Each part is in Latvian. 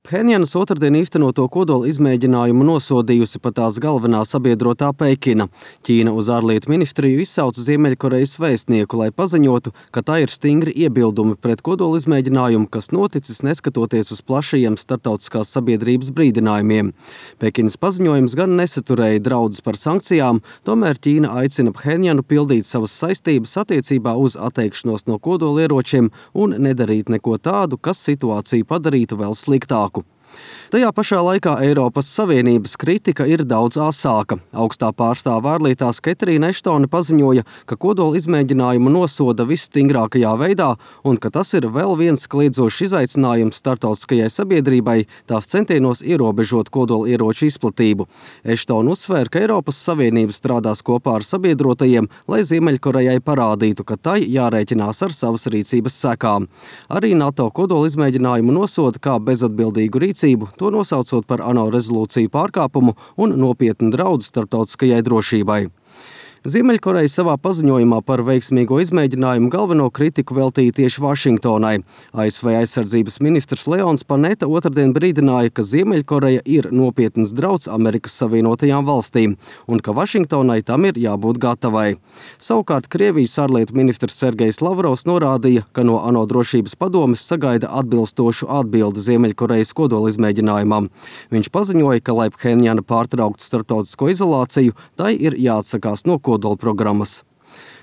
Phenjanas otrdien īstenoto kodola izmēģinājumu nosodījusi pat tās galvenā sabiedrotā Pekina. Ķīna uz ārlietu ministriju izsauca Ziemeļkorejas vēstnieku, lai paziņotu, ka tā ir stingri iebildumi pret kodola izmēģinājumu, kas noticis neskatoties uz plašajiem starptautiskās sabiedrības brīdinājumiem. Pekinas paziņojums gan nesaturēja draudus par sankcijām, tomēr Ķīna aicina Phenjanu pildīt savas saistības attiecībā uz atteikšanos no kodolieročiem un nedarīt neko tādu, kas situāciju padarītu vēl sliktāku. Tajā pašā laikā Eiropas Savienības kritika ir daudz asāka. Augstā pārstāve ārlietās Ketrīna Eštone paziņoja, ka kodola izmēģinājumu nosoda visstingrākajā veidā un ka tas ir vēl viens kliedzošs izaicinājums starptautiskajai sabiedrībai tās centienos ierobežot kodola ieroču izplatību. Eštone uzsvēra, ka Eiropas Savienība strādās kopā ar sabiedrotajiem, lai Ziemeļkorejai parādītu, ka tai jārēķinās ar savas rīcības sekām. Arī NATO kodola izmēģinājumu nosoda kā bezatbildīgu rīcību, to nosaucot par ANO rezolūciju pārkāpumu un nopietnu draudu starptautiskajai drošībai. Ziemeļkoreja savā paziņojumā par veiksmīgo izmēģinājumu galveno kritiku veltīja tieši Vašingtonai. ASV aizsardzības ministrs Leons Panetta otrdien brīdināja, ka Ziemeļkoreja ir nopietns drauds Amerikas Savienotajām valstīm un ka Vašingtonai tam ir jābūt gatavai. Savukārt Krievijas ārlietu ministrs Sergejs Lavrovs norādīja, ka no ANO drošības padomes sagaida atbilstošu atbildi Ziemeļkorejas kodola izmēģinājumam. Viņš paziņoja, ka lai Phenjana pārtrauktu starptautisko izolāciju, tai ir jāatsakās no kodola programmas.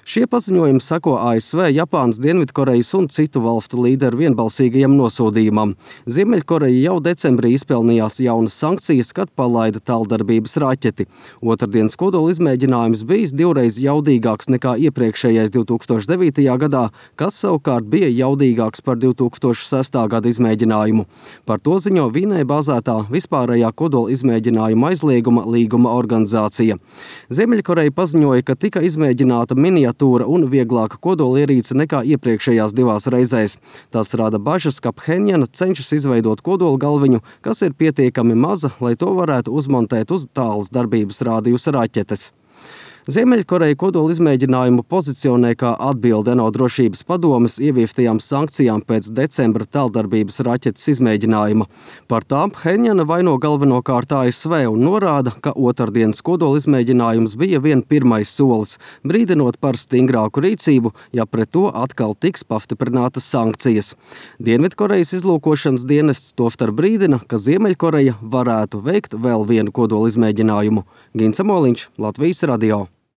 Šie paziņojumi seko ASV, Japānas, Dienvidkorejas un citu valstu līderu vienbalsīgajam nosodījumam. Ziemeļkoreja jau decembrī izpelnījās jaunas sankcijas, kad palaida tāldarbības raķeti. Otrdienas kodola izmēģinājums bijis divreiz jaudīgāks nekā iepriekšējais 2009. gadā, kas savukārt bija jaudīgāks par 2006. gada izmēģinājumu. Par to ziņo Vīnē bāzētā vispārējā kodola izmēģinājuma aizlieguma līguma organizācija. Ziemeļkoreja paziņoja, ka tika izmēģināta miniatūra un vieglāka kodolierīce nekā iepriekšējās divās reizēs. Tas rada bažas, ka Phenjana cenšas izveidot kodola galviņu, kas ir pietiekami maza, lai to varētu uzmontēt uz tālas darbības rādījusa raķetes. Ziemeļkoreja kodola izmēģinājumu pozicionē kā atbilde ANO drošības padomes ieviestajām sankcijām pēc decembra tāldarbības raķetes izmēģinājuma. Par tām Phenjana vaino galvenokārt ASV un norāda, ka otrdienas kodola izmēģinājums bija vien pirmais solis, brīdinot par stingrāku rīcību, ja pret to atkal tiks pastiprinātas sankcijas. Dienvidkorejas izlūkošanas dienests tostarp brīdina, ka Ziemeļkoreja varētu veikt vēl vienu kodola izmēģinājumu. Gins Amoliņš, Latvijas radio.